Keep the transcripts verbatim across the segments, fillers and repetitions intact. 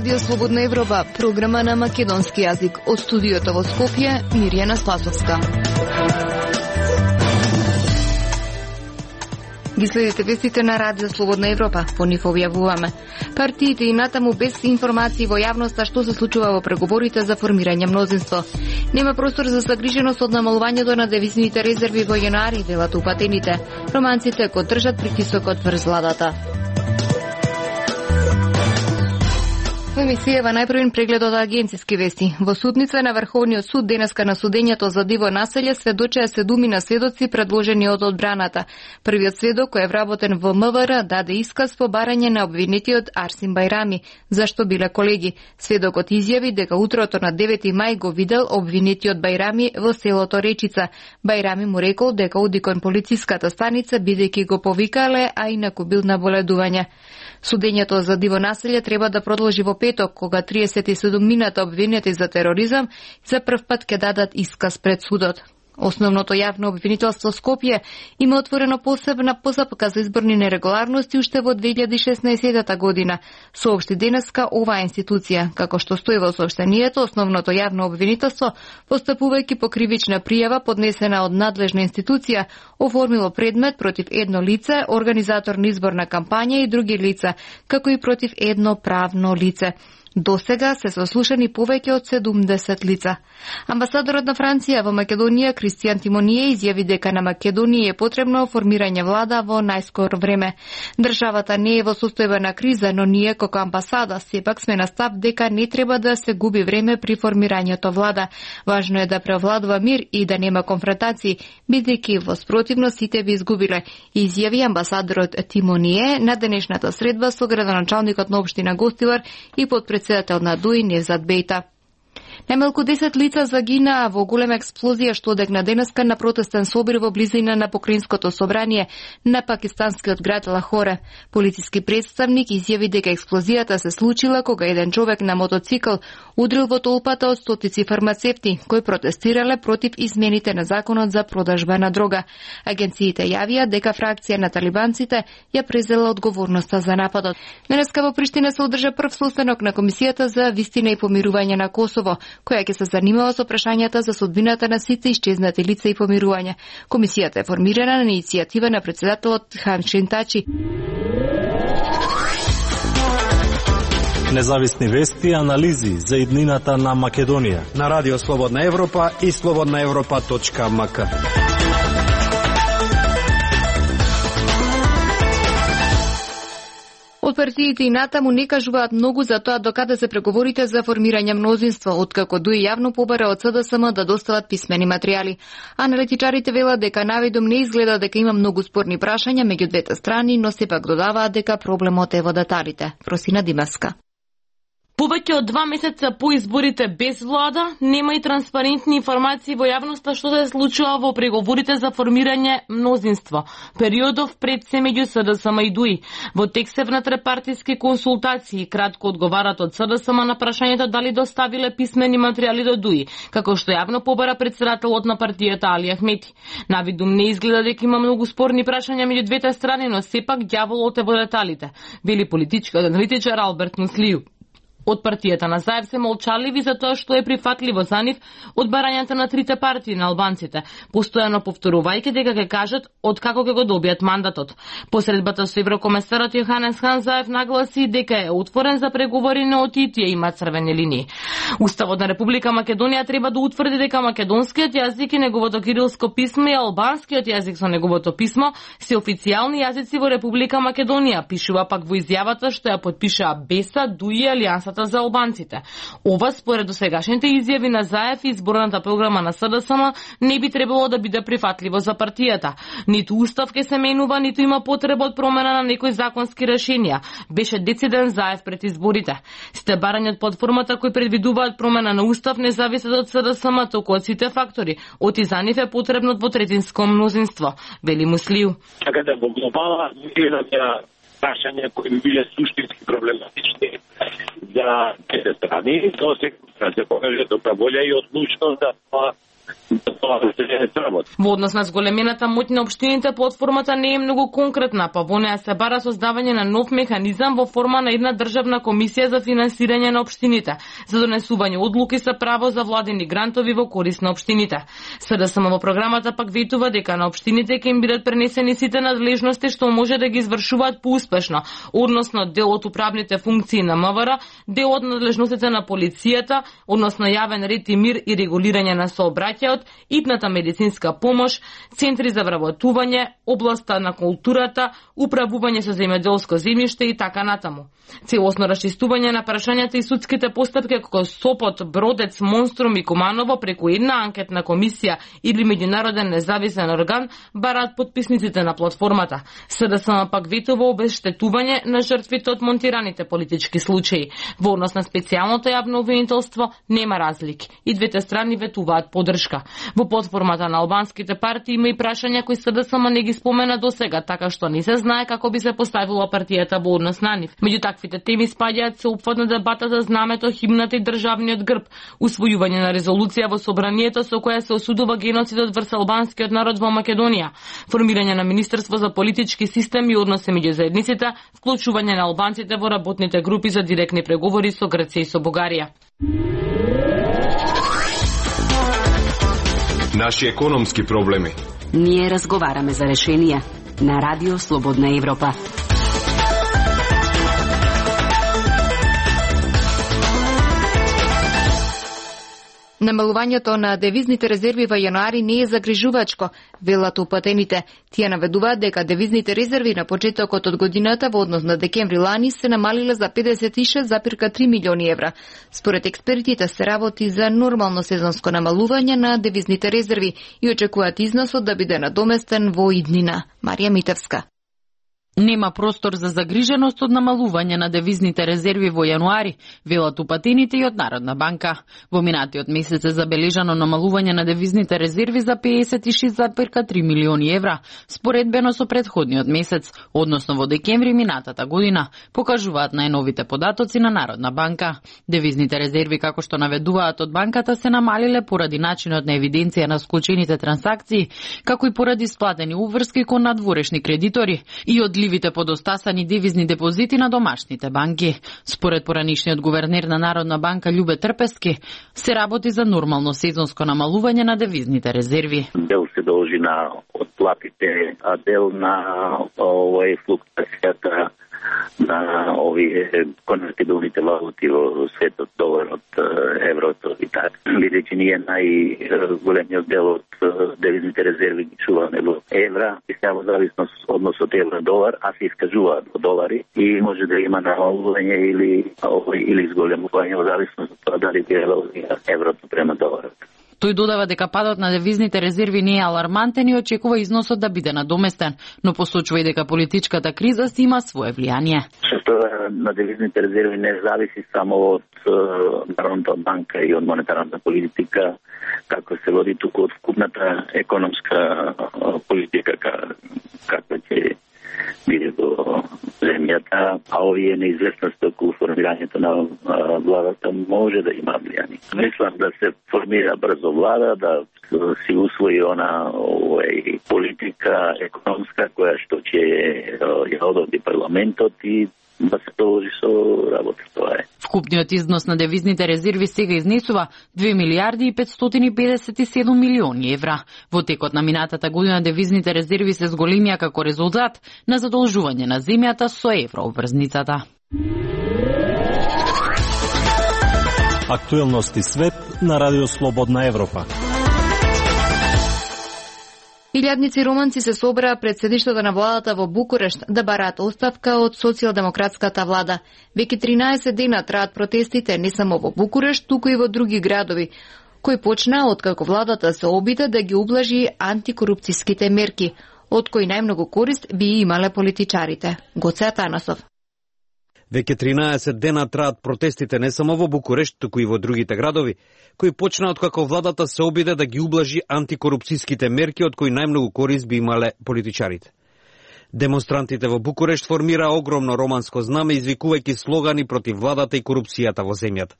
Радио Слободна Европа, програма на македонски јазик. Од студиото во Скопје, Мирјана Спасовска. Ги следите вестите на Радио Слободна Европа, по нив објавуваме. Партиите и натаму без информации во јавноста што се случува во преговорите за формирање мнозинство. Нема простор за загриженост од намалувањето на девизните резерви во јануари, велат упатените. Романците го држат притисокот врз владата. Во емисијава најпрвен преглед од агенциски вести. Во судница на Врховниот суд денеска на судењето за диво населје сведочеа седумина сведоци предложени од одбраната. Првиот сведок кој е вработен во МВР даде исказ по барање на обвинетиот Арсим Бајрами, зашто биле колеги. Сведокот изјави дека утрото на девети мај го видел обвинетиот Бајрами во селото Речица. Бајрами му рекол дека оди кон полициската станица бидејќи го повикале, а инаку бил на боледување. Судењето за диво населје треба да продолжи во петок, кога триесет и седумината обвинети за тероризам за прв пат ќе дадат исказ пред судот. Основното јавно обвинителство Скопје има отворено посебна постапка за изборни нерегуларности уште во две илјади и шеснаесетта година, соопшти денеска оваа институција. Како што стои во соопштението, основното јавно обвинителство, постапувајќи по кривична пријава поднесена од надлежна институција, оформило предмет против едно лице, организатор на изборна кампања и други лица, како и против едно правно лице. До сега се сослушани повеќе од седумдесет лица. Амбасадорот на Франција во Македонија Кристијан Тимоние изјави дека на Македонија е потребно формирање влада во најскоро време. Државата не е во состојба на криза, но ние како амбасада сепак сме на став дека не треба да се губи време при формирањето влада. Важно е да превладува мир и да нема конфронтации, бидејќи во спротивно сите би изгубиле, изјави амбасадорот Тимоние на денешната средба со градоначалникот на општина Гостивар и подпредседател председател на ДУИ Невзат Бејта. Најмалку десет лица загинаа во голема експлозија што одегна денеска на протестен собир во близина на Покраинското собрание на пакистанскиот град Лахоре. Полициски представник изјави дека експлозијата се случила кога еден човек на мотоцикл удрил во толпата од стотици фармацевти кои протестирале против измените на законот за продажба на дрога. Агенциите јавија дека фракција на талибанците ја презела одговорноста за нападот. Денеска во Приштина се одржа прв состанок на Комисијата за вистина и помирување на Косово, која ќе се занимава со прашањата за судбината на сите исчезнати лица и помирување. Комисијата е формирана на иницијатива на председателот Хамшин Тачи. Независни вести и анализи за иднината на Македонија на Радио Слободна Европа и слободна европа точка ем ка. Од партиите и натаму не кажуваат многу за тоа докаде се преговорите за формирање мнозинство, откако ДУИ јавно побара од СДСМ да достават писмени материјали. Аналитичарите велат дека навидом не изгледа дека има многу спорни прашања меѓу двете страни, но сепак додаваат дека проблемот е во деталите. Просина Димевска. Повеќе од два месеца по изборите без влада, нема и транспарентни информации во јавноста што се случува во преговорите за формирање мнозинство, периодов пред се меѓу СДСМ и ДУИ. Во текст се внатре партиски консултации, кратко одговарат од СДСМ на прашањето дали доставиле писмени материјали до ДУИ, како што јавно побара председателот на партијата Али Ахмети. Навидум не изгледа дека има многу спорни прашања меѓу двете страни, но сепак ѓаволот е во деталите, вели политичкиот аналитичар Алберт Муслију. Од партијата на Заев се молчаливи за тоа што е прифатливо за нив од барањата на трите партии на албанците, постојано повторувајќи дека ќе кажат од како ќе го добијат мандатот. Посредбата со еврокомесарот Јоханес Хан Заев нагласи дека е отворен за преговори, но и тие има црвени линии. Уставот на Република Македонија треба да утврди дека македонскиот јазик и неговото кирилско писмо и албанскиот јазик со неговото писмо се официјални јазици во Република Македонија, пишува пак во изјавата што ја подпишаа БЕСА, ДУИ и Алијансата за албанците. Ова според досегашните изјави на Заев и изборната програма на СДСМ не би требало да биде прифатливо за партијата. Ниту устав ќе се менува, ниту има потреба од промена на некои законски решенија, беше дециден Заев пред изборите. Сите барања од платформата кои предвидуваат промена на устав не зависат од СДСМ, туку од сите фактори. Од и за нив е потребно двотретинско мнозинство, вели Муслију. Така да во глобала имаме прашања кои би биле суштински проблематични за двете страни, но се се покаже добра волја и одлучност да тоа да тоа тоа се не работи. Во однос на зголемената моќ на општините, платформата не е многу конкретна, па во неа се бара создавање на нов механизам во форма на една државна комисија за финансирање на општините, за донесување одлуки со право за владени грантови во корист на општините. СДСМ во програмата пак ветува дека на општините ќе им бидат пренесени сите надлежности што може да ги извршуваат поуспешно, односно дел од управните функции на МВР, дел од надлежностите на полицијата, односно јавен ред и мир и регулирање на сообраќајот, итната медицинска помош, центри за вработување, областа на културата, управување со земјоделско земјиште и така натаму. Целосно расчистување на прашањата и судските постапки како Сопот, Бродец, Монструм и Куманово преку една анкетна комисија или меѓународен независен орган бараат подписниците на платформата. СДСМ пак ветува обештетување на жртвите од монтираните политички случаи. Во однос на специјалното јавно обвинителство нема разлики. И двете страни ветуваат поддршка. Во платформата на албанските партии има и прашања кои СДСМ не ги спомена досега, така што не се знае како би се поставила партијата во однос на нив. Меѓу таквите теми спаѓаат сеопфатна дебата за знамето, химната и државниот грб, усвојување на резолуција во собранието со која се осудува геноцидот врз албанскиот народ во Македонија, формирање на Министерство за политички систем и односи меѓу заедниците, вклучување на албанците во работните групи за директни преговори со Грција и со Бугарија. Наши економски проблеми. Ние разговараме за решенија на Радио Слободна Европа. Намалувањето на девизните резерви во јануари не е загрижувачко, велат упатените. Тие наведуваат дека девизните резерви на почетокот од годината во однос на декември лани се намалиле за педесет и шест зарез три милиони евра. Според експертите се работи за нормално сезонско намалување на девизните резерви и очекуваат износот да биде надоместен во иднина. Марија Митевска. Нема простор за загриженост од намалување на девизните резерви во јануари, велат упатените и од Народна банка. Во минатиот месец е забележано намалување на девизните резерви за педесет и шест зарез три милиони евра, споредбено со претходниот месец, односно во декември минатата година, покажуваат најновите податоци на Народна банка. Девизните резерви, како што наведуваат од банката, се намалиле поради начинот на евиденција на склучените трансакции, како и поради сплатени уврски кон надворешни кредитори и од ливите подостасани девизни депозити на домашните банки. Според поранишниот гувернер на Народна банка Љубе Трпески, се работи за нормално сезонско намалување на девизните резерви. Дел се должи на отплатите, а дел на овој флуктуацијата на овие конвертибилните валути во светот, доларот, еврото и така. Бидејќи ние најголемиот дел од девизните резерви ги чуваме во евра, и сега во зависност односот евро-долар, а се искажуваат во долари и може да има намалување или или изголемување во зависност од тоа дали би еврото према доларот. Тој додава дека падот на девизните резерви не е алармантен и очекува износот да биде надоместен, но посочува и дека политичката криза си има свое влијание. Што на девизните резерви не зависи само од Народната банка и од монетарната политика, како се води туку од вкупната економска политика, како ќе биде во земјата, а овие неизвестности околу формирањето на владата може да има влијание. Мислам да се формира брзо влада, да си усвои она овој политика економска која што ќе ја одобри парламентот и да се продолжи со работа. Тоа е. Вкупниот износ на девизните резерви сега изнесува две милиарди и петстотини и педесет и седум милиони евра. Во текот на минатата година девизните резерви се зголемија како резултат на задолжување на земјата со еврообврзницата. Актуелности свет на Радио Слободна Европа. Илјадници романци се собраа пред седиштето на владата во Букурешт да бараат оставка од социјалдемократската влада. Веќе тринаесет дена траат протестите не само во Букурешт, туку и во други градови, кои почнаа откако владата се обида да ги ублажи антикорупцијските мерки, од кои најмногу корист би имале политичарите. Гоце Атанасов. Веќе тринаесет дена траат протестите не само во Букурешт, туку и во другите градови, кои почнаа откако владата се обиде да ги ублажи антикорупцијските мерки од кои најмногу корист би имале политичарите. Демонстрантите во Букурешт формираа огромно романско знаме, извикувајќи слогани против владата и корупцијата во земјата.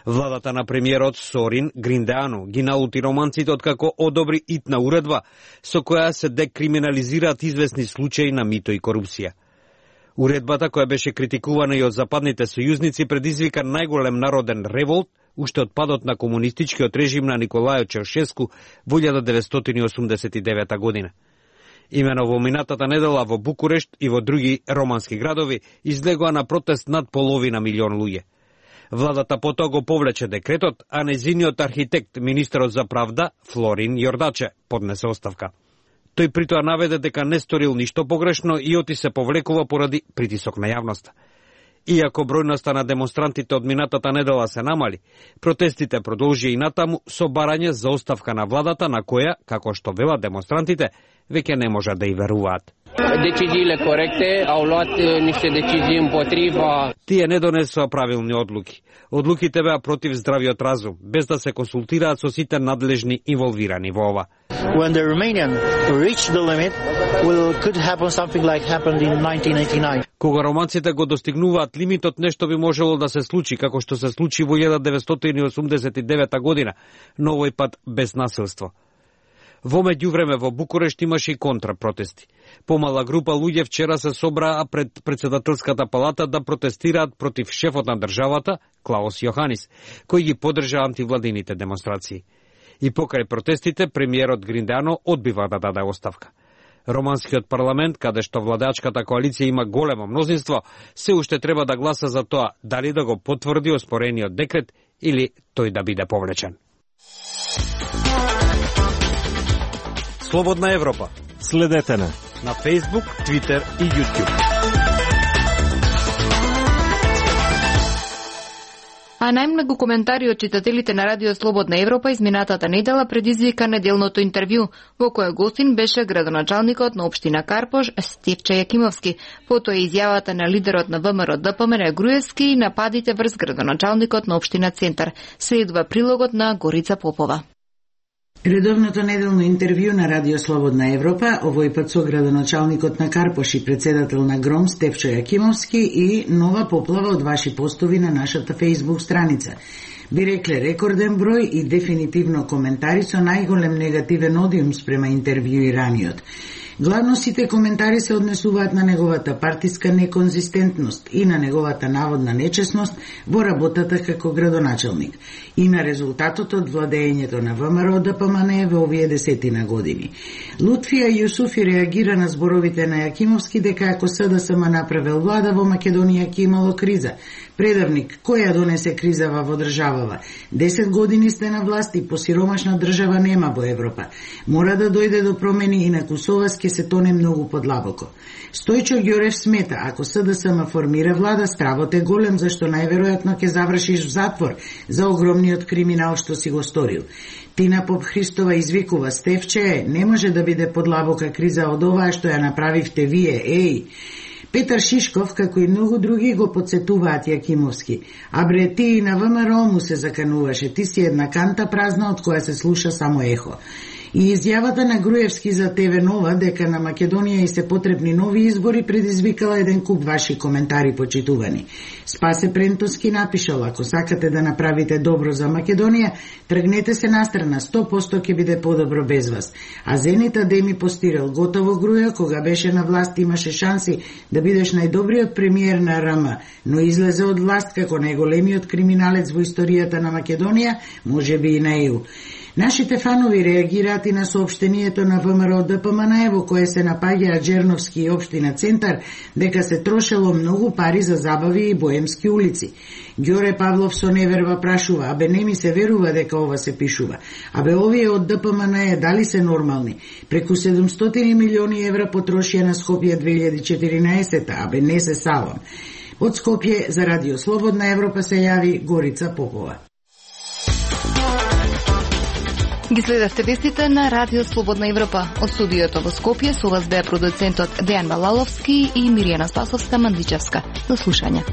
Владата на премиерот Сорин Гриндеано ги наути романците откако одобри итна уредба со која се декриминализираат известни случаи на мито и корупција. Уредбата, која беше критикувана и од западните сојузници, предизвика најголем народен револт уште од падот на комунистичкиот режим на Николај Чаушеску во илјада деветстотини и осумдесет и девета година. Имено во минатата недела во Букурешт и во други романски градови излегоа на протест над половина милион луѓе. Владата потоа го повлече декретот, а нејзиниот архитект, министерот за правда, Флорин Јордаче, поднесе оставка. Тој притоа наведе дека не сторил ништо погрешно и оти се повлекува поради притисок на јавноста. Иако бројноста на демонстрантите од минатата недела се намали, протестите продолжи и натаму со барање за оставка на владата на која, како што велат демонстрантите, веќе не можат да и веруваат. Deciziile corecte, au luat niște decizii împotriva. Тие не донесоа правилни одлуки. Одлуките беа против здравиот разум, без да се консултираат со сите надлежни инволвирани во ова. When the Romanian reach the limit, will could happen something like happened in nineteen eighty-nine. Кога романците го достигнуваат лимитот, нешто би можело да се случи, како што се случи во илјада деветстотини и осумдесет и девета година, но овој пат без насилство. Во меѓувреме во Букурешт имаше и контрапротести. Помала група луѓе вчера се собраа пред председателската палата да протестираат против шефот на државата, Клаус Јоханис, кој ги поддржа антивладините демонстрации. И покрај протестите, премиерот Гриндеано одбива да даде оставка. Романскиот парламент, каде што владачката коалиција има големо мнозинство, се уште треба да гласа за тоа дали да го потврди оспорениот декрет или тој да биде повлечен. Слободна Европа. Следете на на Facebook, Twitter и YouTube. А најмногу коментари од читателите на Радио Слободна Европа изминатата недела предизвика неделното интервју, во кое гостин беше градоначалникот на општина Карпош Стефче Јакимовски. Потоа изјавата на лидерот на ВМРО ДПМН Груевски и нападите врз градоначалникот на општина Центар. Следува прилогот на Горица Попова. Редовното неделно интервју на Радио Слободна Европа, овој пат со градоначалникот на Карпош и председател на ГРОМ Стефче Јакимовски и нова поплава од ваши постови на нашата Facebook страница. Би рекле рекорден број и дефинитивно коментари со најголем негативен одиум спрема интервјуираниот. Главно сите коментари се однесуваат на неговата партиска неконзистентност и на неговата наводна нечесност во работата како градоначалник и на резултатот од владеењето на ВМРО ДПМН во овие десетина години. Лутфија Јусуфи реагира на зборовите на Јакимовски дека ако СДСМ направил влада во Македонија ќе имало криза. Предавник, која донесе кризава во државава? Десет години сте на власт и посиромашна држава нема во Европа. Мора да дојде до промени и на Кусовас ќе се тоне многу подлабоко. Стојчо Ѓорев смета, ако СДСМ формира влада, стравот е голем, зашто најверојатно ќе завршиш в затвор за огромниот криминал што си го сторил. Тина Поп Христова извикува, Стефче, не може да биде подлабока криза од оваа што ја направивте вие, еј. Петар Шишков, како и многу други, го подсетуваат Јакимовски. А бре, ти и на ВМРО му се закануваше, ти си една канта празна од која се слуша само ехо. И изјавата на Груевски за ТВ Нова дека на Македонија и се потребни нови избори предизвикала еден куп ваши коментари почитувани. Спасе Прентоски напишал, ако сакате да направите добро за Македонија, тргнете се настрана, сто проценти ќе биде подобро без вас. А Зенита Деми постирал, готово Груја, кога беше на власт имаше шанси да бидеш најдобриот премиер на РМ, но излезе од власт како најголемиот криминалец во историјата на Македонија, може би и на Е У. Нашите фанови реагираат и на соопштението на ВМРО ДПМН во кое се напаѓаат Джерновски и општина Центар дека се трошело многу пари за забави и боемски улици. Ѓоре Павлов со неверба прашува, абе не ми се верува дека ова се пишува. Абе овие од ДПМН дали се нормални? Преку седумстотини милиони евра потрошија на Скопје две илјади и четиринаесета, абе не се салам. Од Скопје за Радио Слободна Европа се јави Горица Попова. Ги следевте вестите на Радио Слободна Европа. Од студиото во Скопје со вас беа продуцентот Дејан Балаловски и Миријана Спасовска Мандличевска. До слушање.